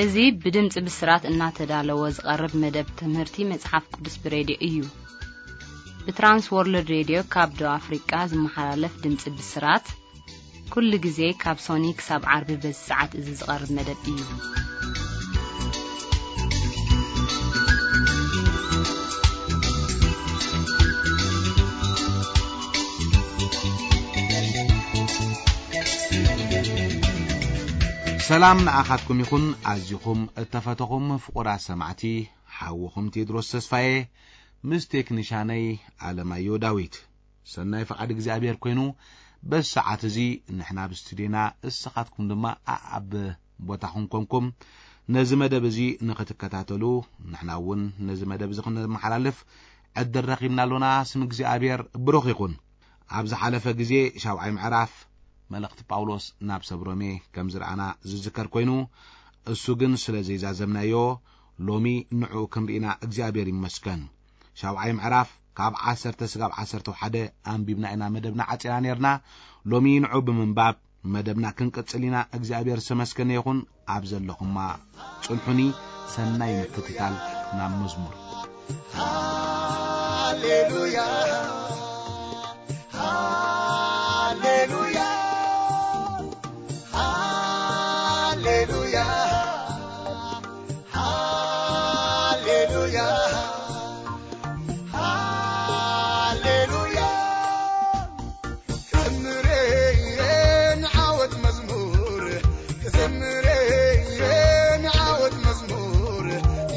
እዚ ብድምፂ ብስራት እናተዳለወ ዝቐርብ መደብ ትምህርቲ መፅሓፍ ቅዱስ ብሬድዮ እዩ። ብትራንስ ወርልድ ሬድዮ ካብ ደቡብ ኣፍሪቃ ዝመሓላለፍ ድምፂ ብስራት ኩሉ ግዜ ካብ ሶኒ ክሳብ ዓርቢ በዚ ሰዓት እዚ ዝቐርብ መደብ እዩ። ሰላም ንኣኻትኩም ይኹን። ኣዚኹም እተፈተኹም ፍቑራት ሰማዕቲ፣ ሓውኹም ቴድሮስ ተስፋዬ ምስ ቴክኒሻነይ ኣለማዮ ዳዊት። ሰናይ ፍቓድ እግዚኣብሔር ኮይኑ፣ በዚ ሰዓት እዚ ንሕና ኣብ ስቱድዮና፣ እስኻትኩም ድማ ኣኣብ ቦታኹም ኮንኩም ነዚ መደብ እዚ ንኽትከታተሉ፣ ንሕና እውን ነዚ መደብ እዚ ክንመሓላልፍ ዕድል ረኺብና ኣሎና። ስም እግዚኣብሔር ብሩኽ ይኹን። ኣብ ዝሓለፈ ግዜ ሻውዓይ ምዕራፍ መልእኽቲ ጳውሎስ ናብ ሰብ ሮሜ ከም ዝረኣና ዝዝከር ኮይኑ፣ እሱ ግን ስለ ዘይዛዘምናዮ፣ ሎሚ ንዕኡ ክንርኢና እግዚኣብሔር ይመስገን። ሻውዓይ ምዕራፍ ካብ ዓሰርተ ስጋብ ዓሰርተ ሓደ ኣንቢብና ኢና መደብና ዓጺና ነርና። ሎሚ ንዑ ብምንባብ መደብና ክንቅጽል ኢና። እግዚኣብሔር ዝተመስገነ ይኹን። ኣብ ዘለኹማ ጽንሑኒ። ሰናይ ምክትታል። ናብ መዝሙር። ሃሌሉያ፣ ሃሌሉያ፣ ሃሌሉያ፣ ሃሌሉያ፣ ሃሌሉያ። ክዘምር እየ ንዓወት መዝሙር፣ ክዘምር እየ ንዓወት መዝሙር።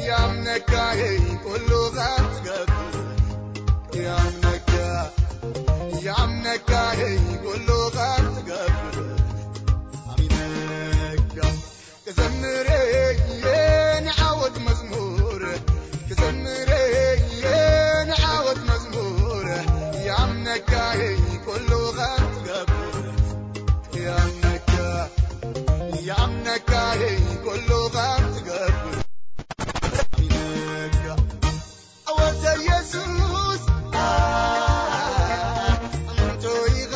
ያምነካ እየ ኩሉ ኸትገብር፣ ያምነካ፣ ያምነካ እየ ኩሉ ኸትገብር። ኣሚነካ ክዘምር እየ ንዓወት መዝሙር፣ ክዘምር እየ ንዓወት መዝሙር። ያምነካ እየ ኩሉ ኸትገብር፣ ያምነካ፣ ያምነካ እየ ኩሉ ኸትገብር። ኣሚነካ ኣወተ ኢየሱስ፣ ኣንቱ ኢኻ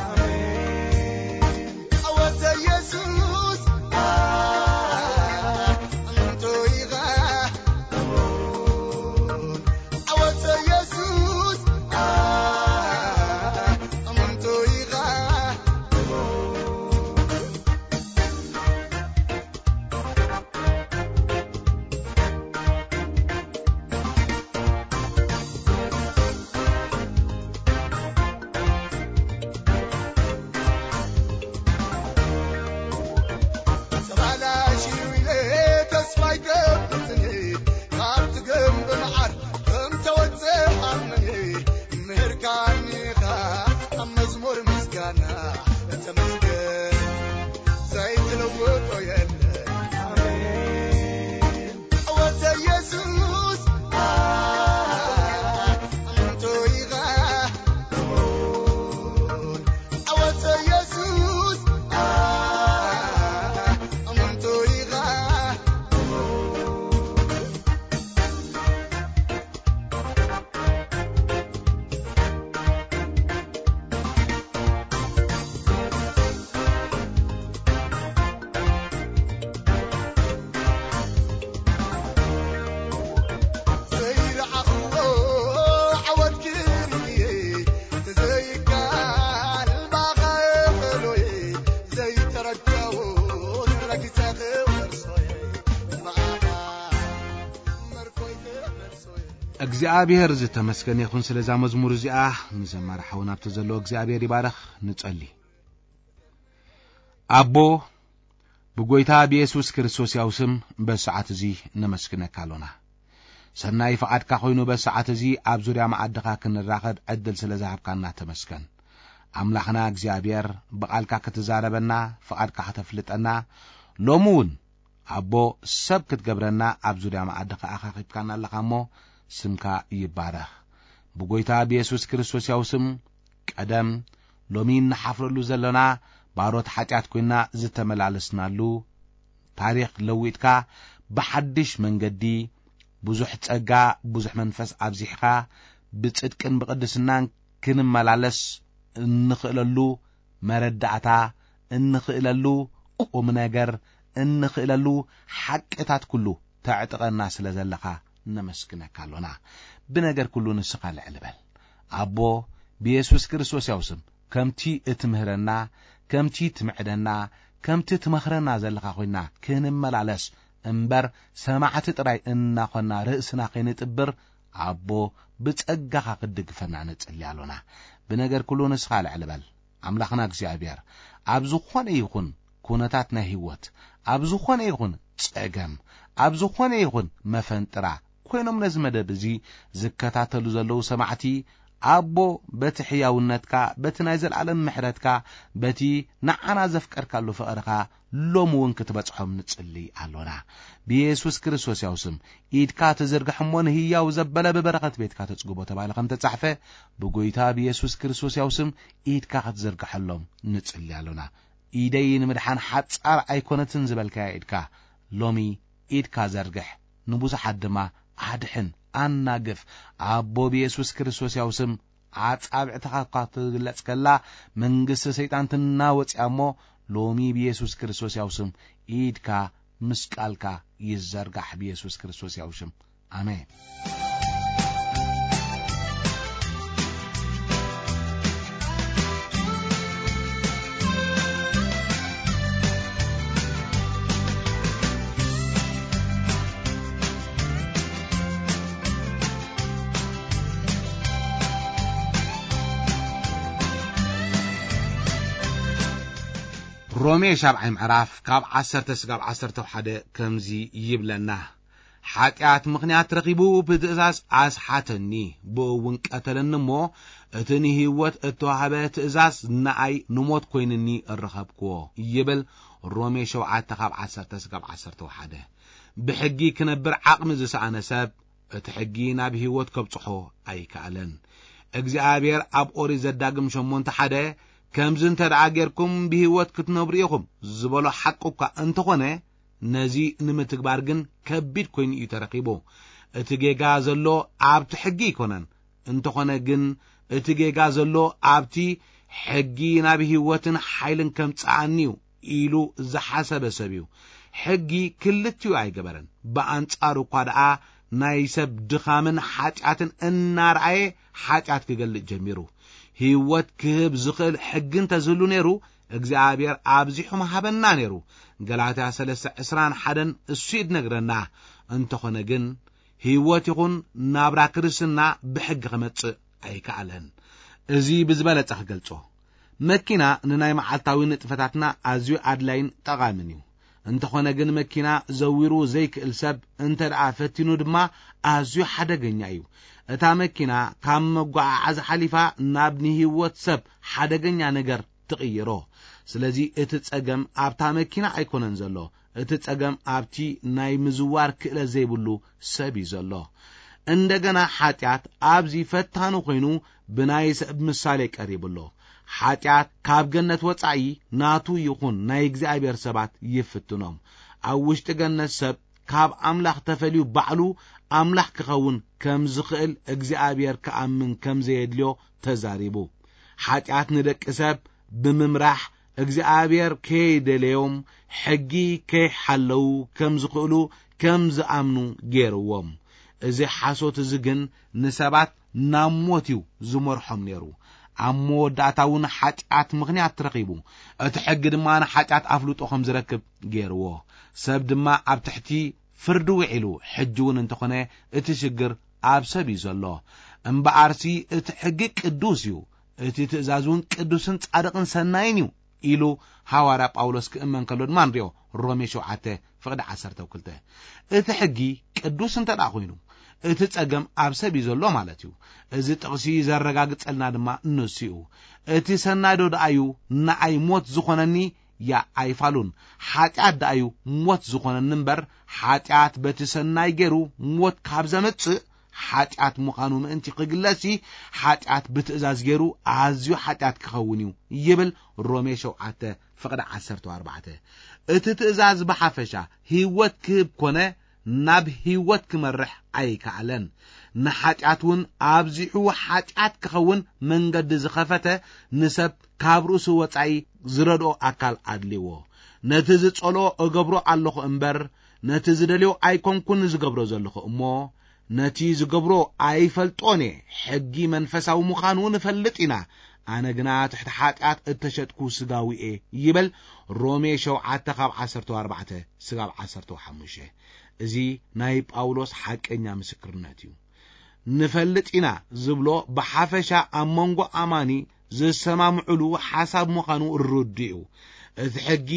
ኣሜን። ኣወተ ኢየሱስ፣ ኣንቶ ኢኻ። ኣወተ ኢየሱስ፣ ኣንቶ ኢኻ። ተባላሽዩ ኢለ ተስፋ ኣይገብርትኒ፣ ካብቲ ግንብ መዓር ከም ተወፅእ ኣምኒ፣ ምህርካኒ ኢኻ ኣብ መዝሙር ምስጋና። ተመስገን፣ ዘይትለውጦ የለን። ኣሜን። ኣወተ ኢየሱስ፣ ኣንቶ ኢኻ። ኣወተ ኢየሱስ፣ ኣንቶ ኢኻ። ዘይረኣኽዎ ዓወት ክርኢ፣ ዘይከኣል ባኻ እኽእሎይ፣ ዘይተረዳእኩ ረጊጸ ክወርሶይ፣ ብኣኻ መርኮይ ክመልሶይ። እግዚኣብሔር ዝተመስገነ ይኹን ስለዛ መዝሙር እዚኣ። ንዘማሪ ሓውና ኣብቲ ዘለዎ እግዚኣብሔር ይባረኽ። ንጸሊ። ኣቦ፣ ብጎይታ ብየሱስ ክርስቶስ ያው ስም በዚ ሰዓት እዚ ነመስግነካ ኣሎና። ሰናይ ፍቓድካ ኮይኑ በዚ ሰዓት እዚ ኣብ ዙርያ መኣድኻ ክንራኸብ ዕድል ስለ ዝሃብካና ተመስገን። ኣምላኽና እግዚኣብሔር፣ ብቓልካ ክትዛረበና፣ ፍቓድካ ከተፍልጠና፣ ሎሚ እውን ኣቦ፣ ሰብ ክትገብረና ኣብ ዙርያ መኣድኻ ኣኻኺብካና ኣለኻ እሞ፣ ስምካ ይባረኽ። ብጎይታ ብየሱስ ክርስቶስ ያው ስም ቀደም ሎሚ እንሓፍረሉ ዘለና ባሮት ሓጢኣት ኮይና ዝተመላለስናሉ ታሪኽ ለዊጥካ ብሓድሽ መንገዲ ብዙሕ ጸጋ፣ ብዙሕ መንፈስ ኣብዚሕኻ ብጽድቅን ብቕድስናን ክንመላለስ እንኽእለሉ መረዳእታ፣ እንኽእለሉ ቁም ነገር፣ እንኽእለሉ ሓቅታት ኩሉ ተዕጥቀና ስለ ዘለኻ ነመስግነካ ኣሎና። ብነገር ኩሉ ንስኻ ልዕል በል። ኣቦ፣ ብየሱስ ክርስቶስ ያው ስም ከምቲ እትምህረና፣ ከምቲ ትምዕደና፣ ከምቲ ትመኽረና ዘለኻ ኮይና ክንመላለስ እምበር፣ ሰማዕቲ ጥራይ እናኾና ርእስና ከይንጥብር፣ ኣቦ፣ ብጸጋኻ ክትድግፈና ንጽሊ ኣሎና። ብነገር ኩሉ ንስኻ ልዕል በል። ኣምላኽና እግዚኣብሔር፣ ኣብ ዝኾነ ይኹን ኩነታት ናይ ህይወት፣ ኣብ ዝኾነ ይኹን ጸገም፣ ኣብ ዝኾነ ይኹን መፈንጥራ ኮይኖም ነዚ መደብ እዚ ዝከታተሉ ዘለዉ ሰማዕቲ፣ ኣቦ፣ በቲ ሕያውነትካ፣ በቲ ናይ ዘለኣለም ምሕረትካ፣ በቲ ንዓና ዘፍቀርካሉ ፍቕርኻ፣ ሎሚ እውን ክትበጽሖም ንጽሊ ኣሎና። ብየሱስ ክርስቶስ ያው ስም፣ ኢድካ ትዝርግሕ እሞ ንህያው ዘበለ ብበረኸት ቤትካ ተጽግቦ ተባሂሉ ከም ተጻሕፈ፣ ብጎይታ ብየሱስ ክርስቶስ ያው ስም፣ ኢድካ ክትዝርግሐሎም ንጽሊ ኣሎና። ኢደይ ንምድሓን ሓጻር ኣይኮነትን ዝበልካያ ኢድካ፣ ሎሚ ኢድካ ዘርግሕ፣ ንብዙሓት ድማ ኣድሕን፣ ኣናግፍ። ኣቦ ብየሱስ ክርስቶስ ያው ስም፣ ኣጻብዕትኻ እኳ ትግለጽ ከላ፣ መንግስቲ ሰይጣን ትናወጽ እያ እሞ፣ ሎሚ ብየሱስ ክርስቶስ ያው ስም፣ ኢድካ ምስ ቃልካ ይዘርጋሕ ብየሱስ ክርስቶስ ያው ሽም። ኣሜን። ሮሜ ሻብዓይ ምዕራፍ ካብ ዓሰርተ ስጋብ ዓሰርተ ሓደ ከምዚ ይብለና። ሓጢኣት ምኽንያት ረኺቡ ብትእዛዝ ኣስሓተኒ፣ ብኡ እውን ቀተለኒ እሞ፣ እቲ ንህይወት እተዋህበ ትእዛዝ ንኣይ ንሞት ኮይንኒ እረኸብክዎ ይብል። ሮሜ ሸውዓተ ካብ ዓሰርተ ስጋብ ዓሰርተ ሓደ። ብሕጊ ክነብር ዓቕሚ ዝሰኣነ ሰብ፣ እቲ ሕጊ ናብ ህይወት ከብጽሖ ኣይከኣለን። እግዚኣብሔር ኣብ ኦሪት ዘዳግም ሸሞንተ ሓደ፣ ከምዚ እንተ ደኣ ጌርኩም ብህይወት ክትነብሩ ኢኹም ዝበሎ ሓቂ እኳ እንተኾነ፣ ነዚ ንምትግባር ግን ከቢድ ኮይኑ እዩ ተረኺቡ። እቲ ጌጋ ዘሎ ኣብቲ ሕጊ ኣይኮነን። እንተኾነ ግን እቲ ጌጋ ዘሎ ኣብቲ ሕጊ ናብ ህይወትን ሓይልን ከምጽኣኒ እዩ ኢሉ ዝሓሰበ ሰብ እዩ። ሕጊ ክልቲኡ ኣይገበረን። ብኣንጻሩ እኳ ደኣ ናይ ሰብ ድኻምን ሓጢኣትን እናረኣየ ሓጢኣት ክገልጽ ጀሚሩ። ህይወት ክህብ ዝኽእል ሕጊ እንተዝህሉ ነይሩ፣ እግዚኣብሔር ኣብዚሑ ምሃበና ነይሩ። ገላትያ ሰለስተ ዕስራን ሓደን እሱ እዩ ዝነግረና። እንተኾነ ግን ህይወት ይኹን ናብራ ክርስትና ብሕጊ ክመጽእ ኣይከኣለን። እዚ ብዝበለጸ ክገልጾ፣ መኪና ንናይ መዓልታዊ ንጥፈታትና ኣዝዩ ኣድላይን ጠቓምን እዩ። እንተኾነ ግን መኪና ዘዊሩ ዘይክእል ሰብ እንተ ደኣ ፈቲኑ ድማ ኣዝዩ ሓደገኛ እዩ። እታ መኪና ካብ መጓዓዓዚ ሓሊፋ ናብ ንህይወት ሰብ ሓደገኛ ነገር ትቕይሮ። ስለዚ እቲ ጸገም ኣብታ መኪና ኣይኮነን ዘሎ። እቲ ጸገም ኣብቲ ናይ ምዝዋር ክእለት ዘይብሉ ሰብ እዩ ዘሎ። እንደገና ሓጢኣት ኣብዚ ፈታኑ ኮይኑ ብናይ ሰብ ምሳሌ ቀሪቡ ኣሎ። ሓጢኣት ካብ ገነት ወጻኢ ናቱ ይኹን ናይ እግዚኣብሔር ሰባት ይፍትኖም። ኣብ ውሽጢ ገነት ሰብ ካብ ኣምላኽ ተፈልዩ ባዕሉ ኣምላኽ ክኸውን ከም ዝኽእል እግዚኣብሔር ክኣምን ከም ዘየድልዮ ተዛሪቡ። ሓጢኣት ንደቂ ሰብ ብምምራሕ እግዚኣብሔር ከይደለዮም ሕጊ ከይሓለዉ ከም ዝኽእሉ ከም ዝኣምኑ ገይርዎም። እዚ ሓሶት እዚ ግን ንሰባት ናብ ሞት እዩ ዝመርሖም ነይሩ። ኣብ መወዳእታ እውን ሓጢኣት ምኽንያት ረኺቡ። እቲ ሕጊ ድማ ንሓጢኣት ኣፍልጦ ከም ዝረክብ ገይርዎ። ሰብ ድማ ኣብ ትሕቲ ፍርዲ ውዒሉ። ሕጂ እውን እንተኾነ እቲ ሽግር ኣብ ሰብ እዩ ዘሎ። እምበኣርሲ እቲ ሕጊ ቅዱስ እዩ። እቲ ትእዛዝ እውን ቅዱስን ጻድቕን ሰናይን እዩ ኢሉ ሃዋርያ ጳውሎስ ክእመን ከሎ ድማ ንሪኦ። ሮሜ ሸውዓተ ፍቕዲ ዓሰርተ ክልተ። እቲ ሕጊ ቅዱስ እንተ ደኣ ኮይኑ፣ እቲ ጸገም ኣብ ሰብ እዩ ዘሎ ማለት እዩ። እዚ ጥቕሲ ዘረጋግጸልና ድማ ንሱ እዩ። እቲ ሰናይ ዶ ደኣ እዩ ንኣይ ሞት ዝኾነኒ? ያ ኣይፋሉን። ሓጢኣት ደኣ እዩ ሞት ዝኾነኒ እምበር፣ ሓጢኣት በቲ ሰናይ ገይሩ ሞት ካብ ዘምጽእ፣ ሓጢኣት ምዃኑ ምእንቲ ክግለጽሲ፣ ሓጢኣት ብትእዛዝ ገይሩ ኣዝዩ ሓጢኣት ክኸውን እዩ ይብል ሮሜ ሸውዓተ ፍቕዲ ዓሰርተ ኣርባዕተ። እቲ ትእዛዝ ብሓፈሻ ህይወት ክህብ ኮነ ናብ ህይወት ክመርሕ ኣይከኣለን። ንሓጢኣት እውን ኣብዚሑ ሓጢኣት ክኸውን መንገዲ ዝኸፈተ ንሰብ ካብ ርእሱ ወጻኢ ዝረድኦ ኣካል ኣድልዎ። ነቲ ዝጸልኦ እገብሮ ኣለኹ እምበር፣ ነቲ ዝደልዮ ኣይኮንኩን ዝገብሮ ዘለኹ እሞ፣ ነቲ ዝገብሮ ኣይፈልጦን እየ። ሕጊ መንፈሳዊ ምዃኑ ንፈልጥ ኢና። ኣነ ግና ትሕቲ ሓጢኣት እተሸጥኩ ስጋዊ እየ ይብል ሮሜ ሸውዓተ ካብ ዓሰርተ ኣርባዕተ ስጋብ ዓሰርተ ሓሙሽተ። እዚ ናይ ጳውሎስ ሓቀኛ ምስክርነት እዩ። ንፈልጥ ኢና ዝብሎ ብሓፈሻ ኣብ መንጎ ኣማኒ ዝሰማምዕሉ ሓሳብ ምዃኑ ርዱእ እዩ። እቲ ሕጊ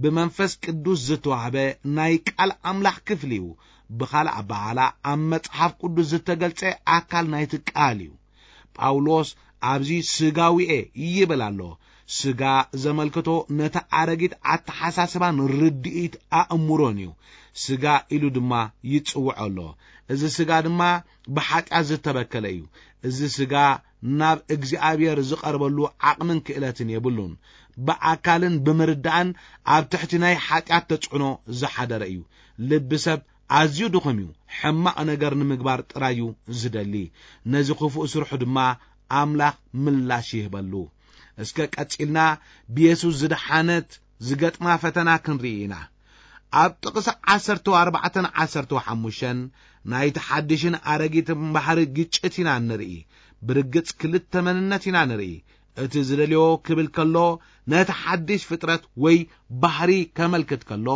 ብመንፈስ ቅዱስ ዝተዋህበ ናይ ቃል ኣምላኽ ክፍሊ እዩ። ብኻልእ ኣበሃህላ ኣብ መጽሓፍ ቅዱስ ዝተገልጸ ኣካል ናይቲ ቃል እዩ። ጳውሎስ ኣብዚ ስጋዊ እየ ይብል ኣሎ። ስጋ ዘመልክቶ ነቲ ኣረጊት ኣተሓሳስባን ርድኢት ኣእምሮን እዩ። ስጋ ኢሉ ድማ ይጽውዖ ኣሎ። እዚ ስጋ ድማ ብሓጢኣት ዝተበከለ እዩ። እዚ ስጋ ናብ እግዚኣብሔር ዝቐርበሉ ዓቕምን ክእለትን የብሉን። ብኣካልን ብምርዳእን ኣብ ትሕቲ ናይ ሓጢኣት ተጽዕኖ ዝሓደረ እዩ። ልቢ ሰብ ኣዝዩ ድኹም እዩ። ሕማቕ ነገር ንምግባር ጥራይ እዩ ዝደሊ። ነዚ ክፉእ ስርሑ ድማ ኣምላኽ ምላሽ ይህበሉ። እስከ ቀጺልና ብየሱስ ዝደሓነት ዝገጥማ ፈተና ክንርኢ ኢና። ኣብ ጥቕሲ ዓሰርተ ኣርባዕተን ዓሰርተ ሓሙሽተን ናይቲ ሓድሽን ኣረጊትን ባህሪ ግጭት ኢና ንርኢ። ብርግጽ ክልተ መንነት ኢና ንርኢ። እቲ ዝደልዮ ክብል ከሎ ነቲ ሓድሽ ፍጥረት ወይ ባህሪ ከመልክት ከሎ፣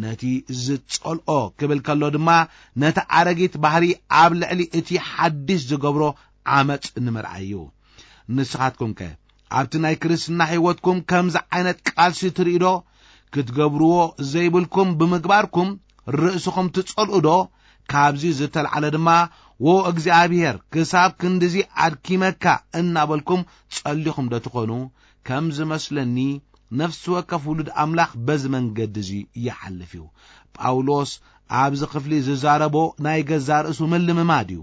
ነቲ ዝጸልኦ ክብል ከሎ ድማ ነቲ ኣረጊት ባህሪ ኣብ ልዕሊ እቲ ሓድሽ ዝገብሮ ዓመጽ ንምርኣይ እዩ። ንስኻትኩምከ ኣብቲ ናይ ክርስትና ሕይወትኩም ከምዚ ዓይነት ቃልሲ ትርኢ ዶ? ክትገብርዎ ዘይብልኩም ብምግባርኩም ርእስኹም ትጸልኡ ዶ? ካብዚ ዝተልዓለ ድማ፣ "ዎ እግዚኣብሔር፣ ክሳብ ክንድዚ ኣድኪመካ" እናበልኩም ጸሊኹም ዶ ትኾኑ? ከም ዝመስለኒ፣ ነፍሲ ወከፍ ውሉድ ኣምላኽ በዚ መንገዲ እዚ ይሓልፍ እዩ። ጳውሎስ ኣብዚ ክፍሊ ዝዛረቦ ናይ ገዛ ርእሱ ምልምማድ እዩ።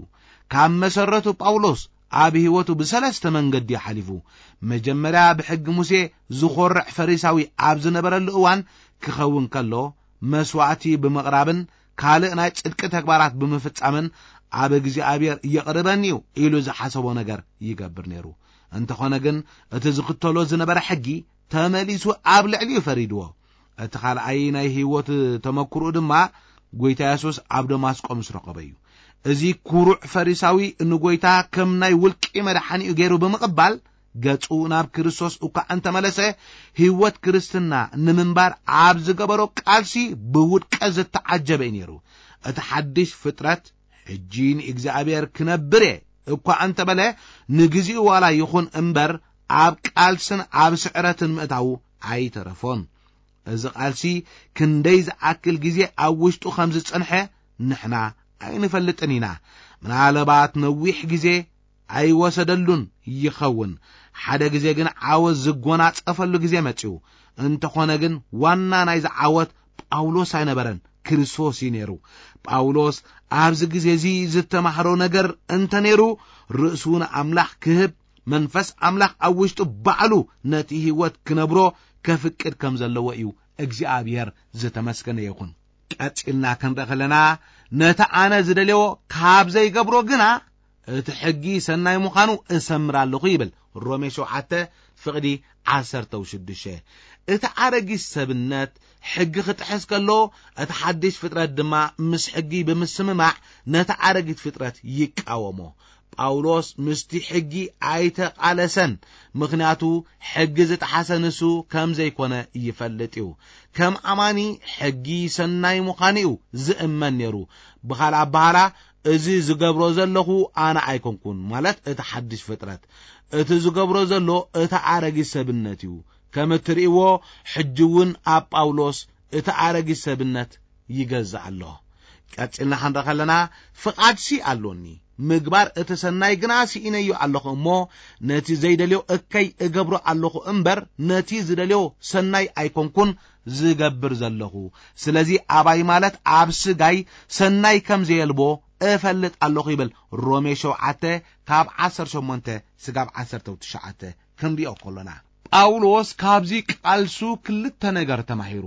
ካብ መሰረቱ ጳውሎስ ኣብ ህይወቱ ብሰለስተ መንገዲ እዩ ሓሊፉ። መጀመርያ ብሕጊ ሙሴ ዝኾርዕ ፈሪሳዊ ኣብ ዝነበረሉ እዋን ክኸውን ከሎ፣ መስዋዕቲ ብምቕራብን ካልእ ናይ ጽድቂ ተግባራት ብምፍጻምን ኣብ እግዚኣብሔር የቕርበኒ እዩ ኢሉ ዝሓሰቦ ነገር ይገብር ነይሩ። እንተኾነ ግን እቲ ዝኽተሎ ዝነበረ ሕጊ ተመሊሱ ኣብ ልዕሊኡ ፈሪድዎ። እቲ ካልኣይ ናይ ህይወት ተመክሮኡ ድማ ጎይታ የሱስ ኣብ ደማስቆ ምስ ረኸቦ እዩ። እዚ ኩሩዕ ፈሪሳዊ ንጎይታ ከም ናይ ውልቂ መድሓኒኡ ገይሩ ብምቕባል ገጹ ናብ ክርስቶስ እኳ እንተመለሰ፣ ህይወት ክርስትና ንምንባር ኣብ ዝገበሮ ቃልሲ ብውድቀት ዝተዓጀበ እዩ ነይሩ። እቲ ሓድሽ ፍጥረት ሕጂ ንእግዚኣብሔር ክነብር እየ እኳ እንተበለ፣ ንግዚኡ ዋላ ይኹን እምበር ኣብ ቃልስን ኣብ ስዕረትን ምእታዉ ኣይተረፎን። እዚ ቃልሲ ክንደይ ዝኣክል ግዜ ኣብ ውሽጡ ከም ዝጸንሐ ንሕና ኣይንፈልጥን ኢና። ምናልባት ነዊሕ ግዜ ኣይወሰደሉን ይኸውን። ሓደ ግዜ ግን ዓወት ዝጎናጸፈሉ ግዜ መጺኡ። እንተኾነ ግን ዋና ናይዚ ዓወት ጳውሎስ ኣይነበረን፣ ክርስቶስ እዩ ነይሩ። ጳውሎስ ኣብዚ ግዜ እዚ ዝተማህሮ ነገር እንተ ነይሩ፣ ርእሱ ንኣምላኽ ክህብ፣ መንፈስ ኣምላኽ ኣብ ውሽጡ ባዕሉ ነቲ ህይወት ክነብሮ ከፍቅድ ከም ዘለዎ እዩ እግዚኣብሔር ዝተመስገነ ይኹን። ቀጺልና ክንርኢ ከለና፣ ነቲ ኣነ ዝደልዮ ካብ ዘይገብሮ ግና እቲ ሕጊ ሰናይ ምዃኑ እሰምር ኣለኹ ይብል። ሮሜ ሸውዓተ ፍቕዲ ዓሰርተ ሽዱሽተ። እቲ ኣረጊት ሰብነት ሕጊ ክጥሕስ ከሎ፣ እቲ ሓድሽ ፍጥረት ድማ ምስ ሕጊ ብምስምማዕ ነቲ ኣረጊት ፍጥረት ይቃወሞ። ጳውሎስ ምስቲ ሕጊ ኣይተቓለሰን፣ ምኽንያቱ ሕጊ ዝጠሓሰ ንሱ ከም ዘይኮነ ይፈልጥ እዩ። ከም ኣማኒ ሕጊ ሰናይ ምዃኑ እዩ ዝእመን ነይሩ። ብኻልእ ኣበሃላ፣ እዚ ዝገብሮ ዘለኹ ኣነ ኣይኮንኩን፣ ማለት እቲ ሓድሽ ፍጥረት፣ እቲ ዝገብሮ ዘሎ እቲ ኣረጊት ሰብነት እዩ። ከም እትርእይዎ፣ ሕጂ እውን ኣብ ጳውሎስ እቲ ኣረጊት ሰብነት ይገዝእ ኣሎ። ቀጺልና ክንርኢ ከለና፣ ፍቓድሲ ኣሎኒ፣ ምግባር እቲ ሰናይ ግና ስኢነዮ ኣለኹ እሞ፣ ነቲ ዘይደልዮ እከይ እገብሮ ኣለኹ እምበር፣ ነቲ ዝደልዮ ሰናይ ኣይኮንኩን ዝገብር ዘለኹ። ስለዚ ኣባይ ማለት ኣብ ስጋይ ሰናይ ከም ዘየልቦ እፈልጥ ኣለኹ ይብል። ሮሜ ሸውዓተ ካብ ዓሰርተ ሸሞንተ ስጋብ ዓሰርተ ትሽዓተ ክንሪኦ ከሎና፣ ጳውሎስ ካብዚ ቃልሱ ክልተ ነገር ተማሂሩ።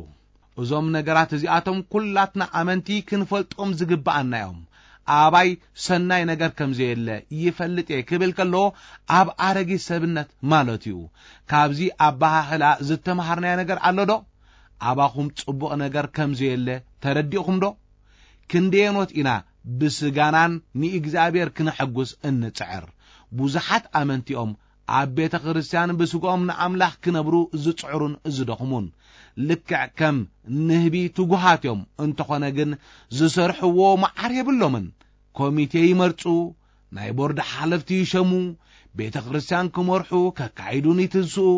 እዞም ነገራት እዚኣቶም ኩላትና ኣመንቲ ክንፈልጦም ዝግብኣና እዮም። ኣባይ ሰናይ ነገር ከም ዘየለ ይፈልጥ እየ ክብል ከሎ፣ ኣብ ኣረጊት ሰብነት ማለት እዩ። ካብዚ ኣበሃህላ ዝተምሃርናዮ ነገር ኣሎ ዶ? ኣባኹም ጽቡቕ ነገር ከም ዘየለ ተረዲእኹም ዶ? ክንደየኖት ኢና ብስጋናን ንእግዚኣብሔር ክነሐጉስ እንጽዕር? ብዙሓት ኣመንቲኦም ኣብ ቤተ ክርስቲያን ብስጋኦም ንኣምላኽ ክነብሩ ዝጽዕሩን ዝደኽሙን። ልክዕ ከም ንህቢ ትጉሃት እዮም። እንተኾነ ግን ዝሰርሕዎ መዓር የብሎምን። ኮሚቴ ይመርጹ፣ ናይ ቦርድ ሓለፍቲ ይሸሙ፣ ቤተ ክርስቲያን ክመርሑ፣ ከካይዱን ይትንስኡ።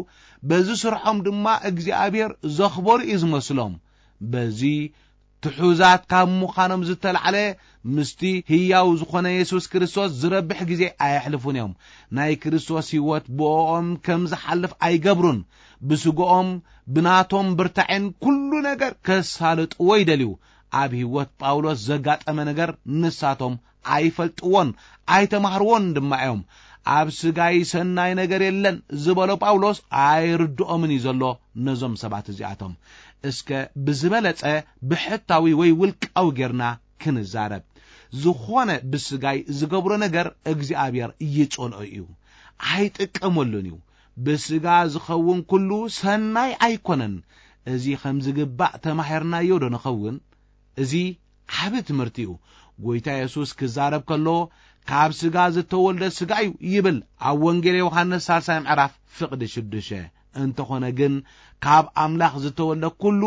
በዚ ስርሖም ድማ እግዚኣብሔር ዘኽበሩ እዩ ዝመስሎም። በዚ ትሑዛት ካብ ምዃኖም ዝተላዕለ፣ ምስቲ ህያው ዝኾነ የሱስ ክርስቶስ ዝረብሕ ግዜ ኣየሕልፉን እዮም። ናይ ክርስቶስ ህይወት ብእኦም ከም ዝሓልፍ ኣይገብሩን። ብስግኦም፣ ብናቶም ብርታዕን ኩሉ ነገር ከሳልጥዎ ይደልዩ። ኣብ ህይወት ጳውሎስ ዘጋጠመ ነገር ንሳቶም ኣይፈልጥዎን፣ ኣይተማህርዎን ድማ እዮም። ኣብ ስጋይ ሰናይ ነገር የለን ዝበሎ ጳውሎስ ኣይርድኦምን እዩ ዘሎ ነዞም ሰባት እዚኣቶም። እስከ ብዝበለጸ ብሕታዊ ወይ ውልቃዊ ጌርና ክንዛረብ። ዝኾነ ብስጋይ ዝገብሮ ነገር እግዚኣብሔር ይጸልኦ እዩ፣ ኣይጥቀመሉን እዩ። ብስጋ ዝኸውን ኩሉ ሰናይ ኣይኮነን። እዚ ከም ዝግባእ ተማሂርናዮ ዶ ንኸውን? እዚ ዓቢ ትምህርቲ እዩ። ጎይታ የሱስ ክዛረብ ከሎ፣ "ካብ ስጋ ዝተወልደ ስጋ እዩ" ይብል ኣብ ወንጌል ዮሃንስ ሳልሳይ ምዕራፍ ፍቕዲ ሽዱሽተ። እንተኾነ ግን፣ ካብ ኣምላኽ ዝተወልደ ኩሉ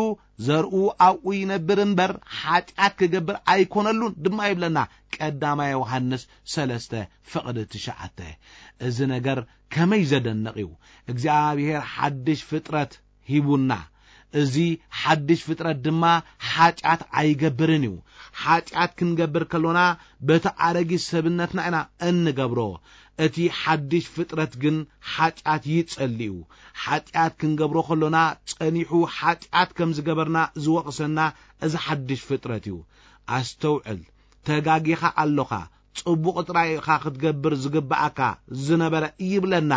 ዘርኡ ኣብኡ ይነብር እምበር፣ ሓጢኣት ክገብር ኣይኮነሉን ድማ ይብለና ቀዳማይ ዮሃንስ ሰለስተ ፍቕዲ ትሽዓተ። እዚ ነገር ከመይ ዘደንቕ እዩ! እግዚኣብሔር ሓድሽ ፍጥረት ሂቡና። እዚ ሓድሽ ፍጥረት ድማ ሓጢኣት ኣይገብርን እዩ። ሓጢኣት ክንገብር ከሎና በቲ ኣረጊት ሰብነትና ኢና እንገብሮ። እቲ ሓድሽ ፍጥረት ግን ሓጢኣት ይጸሊ እዩ። ሓጢኣት ክንገብሮ ከሎና ጸኒሑ ሓጢኣት ከም ዝገበርና ዝወቕሰና እዚ ሓድሽ ፍጥረት እዩ። ኣስተውዕል፣ ተጋጊኻ ኣሎኻ፣ ጽቡቕ ጥራይ ኢኻ ክትገብር ዝግብኣካ ዝነበረ ይብለና።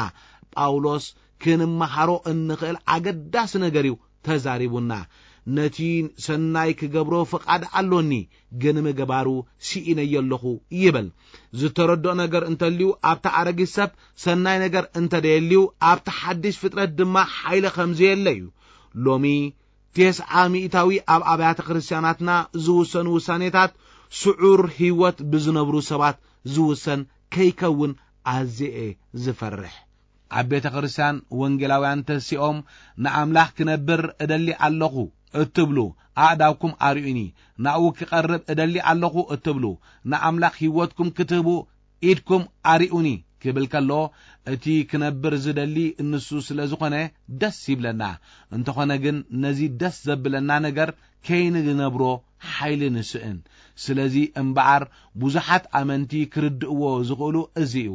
ጳውሎስ ክንመሃሮ እንኽእል ኣገዳሲ ነገር እዩ ተዛሪቡና። ነቲ ሰናይ ክገብሮ ፍቓድ ኣሎኒ፣ ግን ምግባሩ ስኢነዮ ኣለኹ ይብል። ዝተረድኦ ነገር እንተልዩ ኣብቲ ኣረጊት ሰብ ሰናይ ነገር እንተደየልዩ ኣብቲ ሓድሽ ፍጥረት ድማ ሓይሊ ከም ዘየለ እዩ። ሎሚ ተስዓ ሚእታዊ ኣብ ኣብያተ ክርስቲያናትና ዝውሰኑ ውሳኔታት ስዑር ህይወት ብዝነብሩ ሰባት ዝውሰን ከይከውን ኣዝየ ዝፈርሕ። ኣብ ቤተ ክርስቲያን ወንጌላውያን ተሲኦም ንኣምላኽ ክነብር እደሊ ኣለኹ እትብሉ ኣእዳውኩም ኣርእዩኒ፣ ናብኡ ክቐርብ እደሊ ኣለኹ እትብሉ ንኣምላኽ ህይወትኩም ክትህቡ ኢድኩም ኣርእዩኒ ክብል ከሎ እቲ ክነብር ዝደሊ ንሱ ስለ ዝኾነ ደስ ይብለና። እንተኾነ ግን ነዚ ደስ ዘብለና ነገር ከይንነብሮ ሓይሊ ንስእን። ስለዚ እምበኣር ብዙሓት ኣመንቲ ክርድእዎ ዝኽእሉ እዚ እዩ።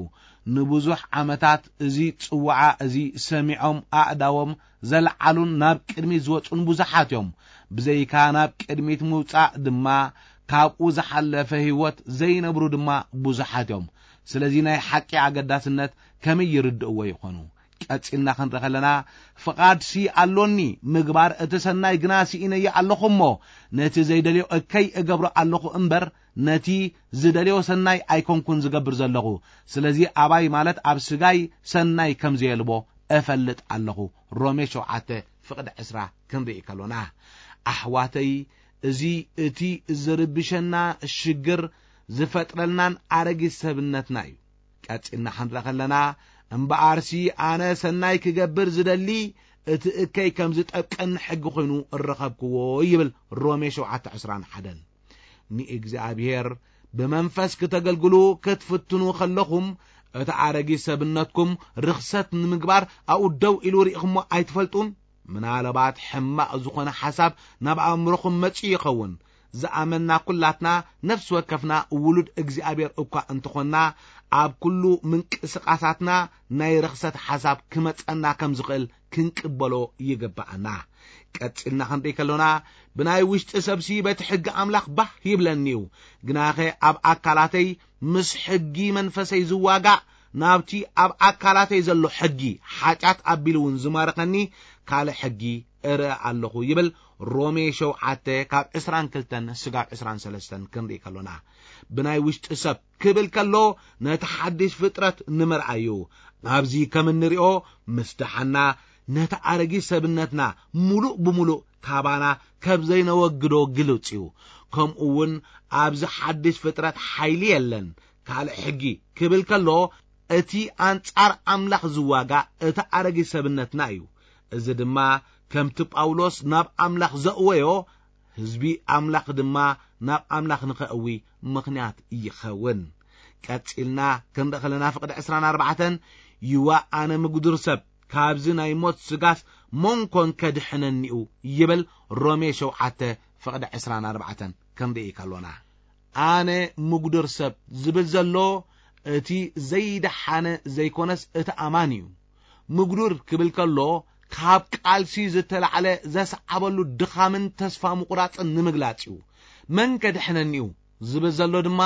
ንብዙሕ ዓመታት እዚ ጽዋዓ እዚ ሰሚዖም ኣእዳዎም ዘልዓሉን ናብ ቅድሚት ዝወጹን ብዙሓት እዮም። ብዘይካ ናብ ቅድሚት ምውጻእ ድማ ካብኡ ዝሓለፈ ህይወት ዘይነብሩ ድማ ብዙሓት እዮም። ስለዚ ናይ ሓቂ ኣገዳስነት ከመይ ይርድእዎ ይኾኑ? ቀጺልና ክንርኢ ከለና ፍቓድሲ ኣሎኒ፣ ምግባር እቲ ሰናይ ግና ስኢነዮ ኣለኹ እሞ ነቲ ዘይደልዮ እከይ እገብሮ ኣለኹ እምበር ነቲ ዝደልዮ ሰናይ ኣይኮንኩን ዝገብር ዘለኹ። ስለዚ ኣባይ ማለት ኣብ ስጋይ ሰናይ ከም ዘየልቦ እፈልጥ ኣለኹ። ሮሜ ሸውዓተ ፍቕዲ ዕስራ ክንርኢ ከሎና ኣሕዋተይ፣ እዚ እቲ ዝርብሸና ሽግር ዝፈጥረልናን ኣረጊት ሰብነትና እዩ። ቀጺልና ክንርኢ ከለና እምበኣርሲ ኣነ ሰናይ ክገብር ዝደሊ እቲ እከይ ከም ዝጠብቀኒ ሕጊ ኮይኑ እረኸብክዎ ይብል ሮሜ ሸውዓተ ዕስራን ሓደን። ንእግዚኣብሔር ብመንፈስ ክተገልግሉ ክትፍትኑ ከለኹም እቲ ኣረጊት ሰብነትኩም ርኽሰት ንምግባር ኣብኡ ደው ኢሉ ርኢኹሞ ኣይትፈልጡን? ምናልባት ሕማቕ ዝኾነ ሓሳብ ናብ ኣእምሮኹም መጺኡ ይኸውን። ዝኣመንና ኩላትና ነፍሲ ወከፍና ውሉድ እግዚኣብሔር እኳ እንተኾንና ኣብ ኩሉ ምንቅስቓሳትና ናይ ርኽሰት ሓሳብ ክመጸና ከም ዝኽእል ክንቅበሎ ይግብኣና። ቀጺልና ክንርኢ ከሎና ብናይ ውሽጢ ሰብሲ በቲ ሕጊ ኣምላኽ ባህ ይብለኒ እዩ። ግናኸ ኣብ ኣካላተይ ምስ ሕጊ መንፈሰይ ዝዋጋእ ናብቲ ኣብ ኣካላተይ ዘሎ ሕጊ ሓጢኣት ኣቢሉ እውን ዝማርኸኒ ካልእ ሕጊ እርኢ ኣለኹ ይብል ሮሜ ሸውዓተ ካብ ዕስራን ክልተን ስጋብ ዕስራን ሰለስተን ክንርኢ ከሎና። ብናይ ውሽጢ ሰብ ክብል ከሎ ነቲ ሓድሽ ፍጥረት ንምርኣዩ ኣብዚ ከም እንሪኦ ምስ ደሓና ነቲ ኣረጊት ሰብነትና ሙሉእ ብሙሉእ ካባና ከብ ዘይነወግዶ ግልጽ እዩ። ከምኡ እውን ኣብዚ ሓድሽ ፍጥረት ሓይሊ የለን። ካልእ ሕጊ ክብል ከሎ እቲ ኣንጻር ኣምላኽ ዝዋጋ እቲ ኣረጊት ሰብነትና እዩ። እዚ ድማ ከምቲ ጳውሎስ ናብ ኣምላኽ ዘእወዮ ህዝቢ ኣምላኽ ድማ ናብ ኣምላኽ ንኸእዊ ምኽንያት ይኸውን። ቀጺልና ክንርኢ ከለና ፍቕዲ ዕስራን ኣርባዕተን ይዋ ኣነ ምጉዱር ሰብ ካብዚ ናይ ሞት ስጋስ መንኮን ከድሕነኒኡ ይብል ሮሜ ሸውዓተ ፍቕዲ ዕስራን ኣርባዕተን ክንርኢ ከሎና ኣነ ምጉዱር ሰብ ዝብል ዘሎ እቲ ዘይደሓነ ዘይኮነስ እቲ ኣማን እዩ። ምጉዱር ክብል ከሎ ካብ ቃልሲ ዝተላዕለ ዘስዓበሉ ድኻምን ተስፋ ምቑራጽን ንምግላጽ እዩ። መን ከድሕነኒ እዩ ዝብል ዘሎ ድማ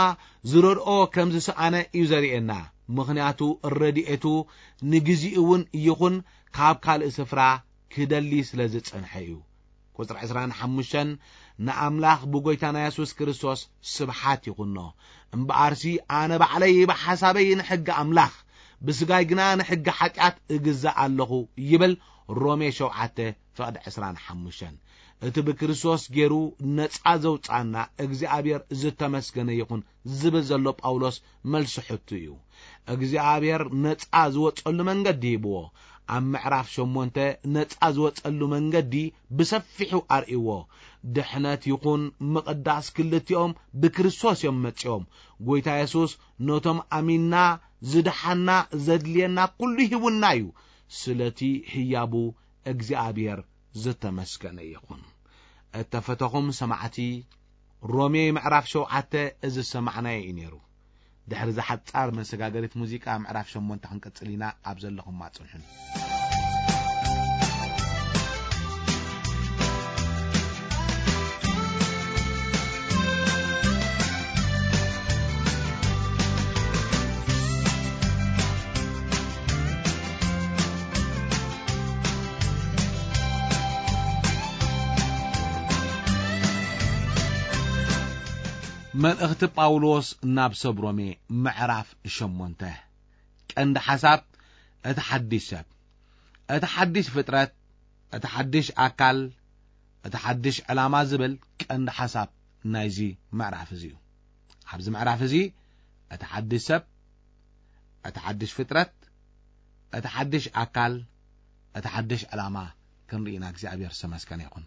ዝረድኦ ከም ዝሰኣነ እዩ ዘርእየና። ምኽንያቱ ረድኤቱ ንግዚኡ እውን ይኹን ካብ ካልእ ስፍራ ክደሊ ስለ ዝጸንሐ እዩ። ቁጽሪ ዕስራን ሓሙሽተን ንኣምላኽ ብጎይታና የሱስ ክርስቶስ ስብሓት ይኹኖ። እምበኣርሲ ኣነ ባዕለይ ብሓሳበይ ንሕጊ ኣምላኽ ብስጋይ ግና ንሕጊ ሓጢኣት እግዛእ ኣለኹ ይብል ሮሜ ሸውዓተ ፍቕዲ ዕስራን ሓሙሽተን። እቲ ብክርስቶስ ገይሩ ነጻ ዘውጻና እግዚኣብሔር ዝተመስገነ ይኹን ዝብል ዘሎ ጳውሎስ መልሲ ሕቱ እዩ። እግዚኣብሔር ነጻ ዝወጸሉ መንገዲ ሂብዎ። ኣብ ምዕራፍ ሸሞንተ ነጻ ዝወጸሉ መንገዲ ብሰፊሑ ኣርእይዎ። ድሕነት ይኹን ምቕዳስ ክልቲኦም ብክርስቶስ እዮም መጺኦም። ጎይታ የሱስ ነቶም ኣሚንና ዝድሓና ዘድልየና ኩሉ ሂቡና እዩ። ስለቲ ህያቡ እግዚኣብሔር ዝተመስገነ ይኹን። እተፈተኹም ሰማዕቲ ሮሜ ምዕራፍ ሸውዓተ እዚ ዝሰማዕናዮ እዩ ነይሩ። ድሕሪ እዛ ሓጻር መሰጋገሪት ሙዚቃ ምዕራፍ ሸሞንተ ክንቅጽል ኢና። ኣብ ዘለኹም ኣጽንሑን። መልእኽቲ ጳውሎስ ናብ ሰብ ሮሜ ምዕራፍ ሸሞንተ። ቀንዲ ሓሳብ፣ እቲ ሓድሽ ሰብ፣ እቲ ሓድሽ ፍጥረት፣ እቲ ሓድሽ ኣካል፣ እቲ ሓድሽ ዕላማ ዝብል ቀንዲ ሓሳብ ናይዚ ምዕራፍ እዚ እዩ። ኣብዚ ምዕራፍ እዚ እቲ ሓድሽ ሰብ፣ እቲ ሓድሽ ፍጥረት፣ እቲ ሓድሽ ኣካል፣ እቲ ሓድሽ ዕላማ ክንርኢ ኢና። እግዚኣብሔር ዝተመስገነ ይኹን።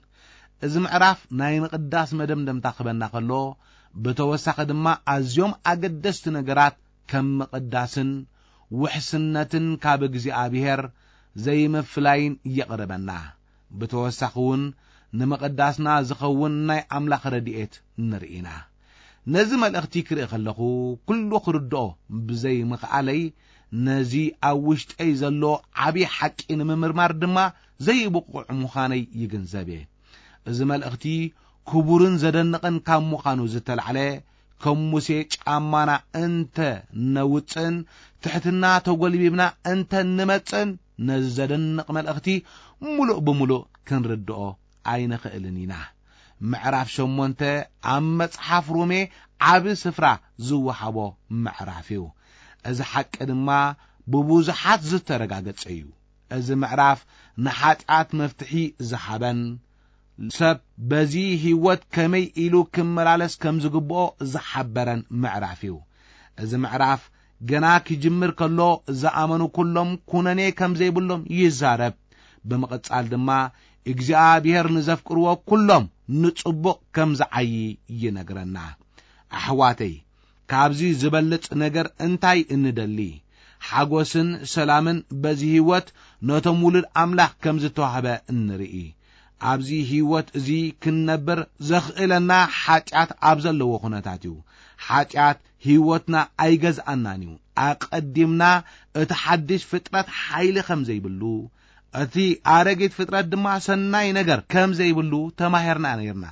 እዚ ምዕራፍ ናይ ምቕዳስ መደምደምታ ክበና ከሎ፣ ብተወሳኺ ድማ ኣዝዮም ኣገደስቲ ነገራት ከም ምቕዳስን ውሕስነትን ካብ እግዚኣብሔር ዘይምፍላይን የቕርበና። ብተወሳኺ እውን ንምቕዳስና ዝኸውን ናይ ኣምላኽ ረድኤት ንርኢ ኢና። ነዚ መልእኽቲ ክርኢ ከለኹ፣ ኩሉ ክርድኦ ብዘይምኽኣለይ፣ ነዚ ኣብ ውሽጠይ ዘሎ ዓቢ ሓቂ ንምምርማር ድማ ዘይብቑዕ ምዃነይ ይግንዘብ እየ። እዚ መልእኽቲ ክቡርን ዘደንቕን ካብ ምዃኑ ዝተላዕለ፣ ከም ሙሴ ጫማና እንተ ነውጽእን ትሕትና ተጎልቢብና እንተ ንመጽእን፣ ነዚ ዘደንቕ መልእኽቲ ምሉእ ብምሉእ ክንርድኦ ኣይንኽእልን ኢና። ምዕራፍ ሸሞንተ ኣብ መጽሓፍ ሮሜ ዓቢ ስፍራ ዝወሃቦ ምዕራፍ እዩ። እዚ ሓቂ ድማ ብብዙሓት ዝተረጋገጸ እዩ። እዚ ምዕራፍ ንሓጢኣት መፍትሒ ዝሃበን፣ ሰብ በዚ ህይወት ከመይ ኢሉ ክመላለስ ከም ዝግብኦ ዝሓበረን ምዕራፍ እዩ። እዚ ምዕራፍ ገና ክጅምር ከሎ፣ ዝኣመኑ ኩሎም ኩነኔ ከም ዘይብሎም ይዛረብ። ብምቕጻል ድማ፣ እግዚኣብሔር ንዘፍቅርዎ ኩሎም ንጽቡቕ ከም ዝዓዪ ይነግረና። ኣሕዋተይ፣ ካብዚ ዝበልጽ ነገር እንታይ እንደሊ? ሓጎስን ሰላምን በዚ ህይወት ነቶም ውሉድ ኣምላኽ ከም ዝተዋህበ እንርኢ። ኣብዚ ህይወት እዚ ክንነብር ዘኽእለና ሓጢኣት ኣብ ዘለዎ ኩነታት እዩ። ሓጢኣት ህይወትና ኣይገዝኣናን እዩ። ኣቐዲምና እቲ ሓድሽ ፍጥረት ሓይሊ ከም ዘይብሉ፣ እቲ ኣረጊት ፍጥረት ድማ ሰናይ ነገር ከም ዘይብሉ ተማሂርና ነይርና።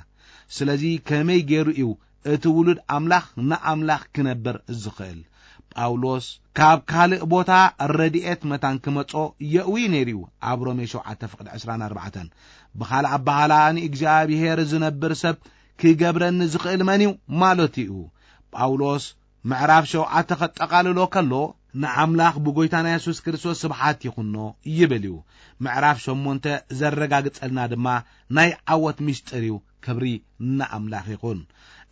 ስለዚ ከመይ ገይሩ እዩ እቲ ውሉድ ኣምላኽ ንኣምላኽ ክነብር ዝኽእል? ጳውሎስ ካብ ካልእ ቦታ ረድኤት መታን ክመጾ የእዊ ነይሩ እዩ። ኣብ ሮሜ ሸውዓተ ፍቕዲ ዕስራን ኣርባዕተን፣ ብኻልእ ኣበሃህላ ንእግዚኣብሔር ዝነብር ሰብ ክገብረኒ ዝኽእል መን እዩ ማለቱ እዩ። ጳውሎስ ምዕራፍ ሸውዓተ ከጠቓልሎ ከሎ፣ ንኣምላኽ ብጎይታና የሱስ ክርስቶስ ስብሓት ይኹኖ ይብል እዩ። ምዕራፍ ሸሞንተ ዘረጋግጸልና ድማ ናይ ዓወት ምስጢር እዩ። ክብሪ ንኣምላኽ ይኹን።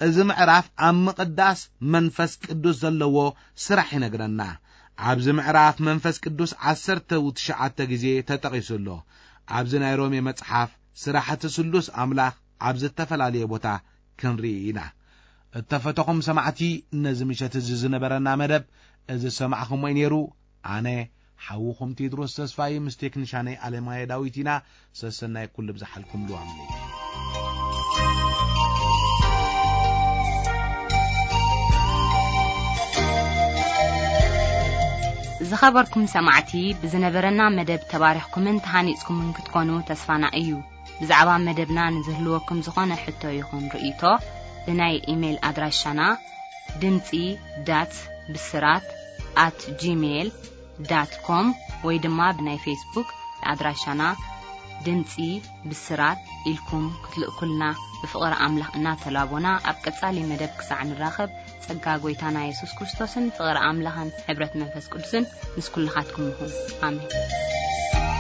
እዚ ምዕራፍ ኣብ ምቕዳስ መንፈስ ቅዱስ ዘለዎ ስራሕ ይነግረና። ኣብዚ ምዕራፍ መንፈስ ቅዱስ ዓሰርተ ትሽዓተ ግዜ ተጠቒሱ ኣሎ። ኣብዚ ናይ ሮሜ መጽሓፍ ስራሕቲ ስሉስ ኣምላኽ ኣብ ዝተፈላለየ ቦታ ክንርኢ ኢና። እተፈተኹም ሰማዕቲ፣ ነዚ ምሸት እዚ ዝነበረና መደብ እዚ ዝሰማዕኹሞ እዩ ነይሩ። ኣነ ሓውኹም ቴድሮስ ተስፋይ ምስ ቴክኒሻነይ ኣለማየ ዳዊት ኢና። ሰሰናይ ኩሉ ብዝሓልኩም ልዋም ለይቲ። ዝኸበርኩም ሰማዕቲ፣ ብዝነበረና መደብ ተባሪኽኩምን ተሃኒጽኩምን ክትኮኑ ተስፋና እዩ። ብዛዕባ መደብና ንዝህልወኩም ዝኾነ ሕቶ ይኹን ርእይቶ፣ ብናይ ኢሜይል ኣድራሻና ድምጺ ዳት ብስራት ኣት ጂሜይል ዳት ኮም ወይ ድማ ብናይ ፌስቡክ ኣድራሻና ድምጺ ብስራት ኢልኩም ክትልእኩልና ብፍቕሪ ኣምላኽ እናተላቦና፣ ኣብ ቀጻሊ መደብ ክሳዕ ንራኸብ፣ ጸጋ ጐይታና የሱስ ክርስቶስን ፍቕሪ ኣምላኽን ሕብረት መንፈስ ቅዱስን ምስ ኩልኻትኩም ይኹን። ኣሜን።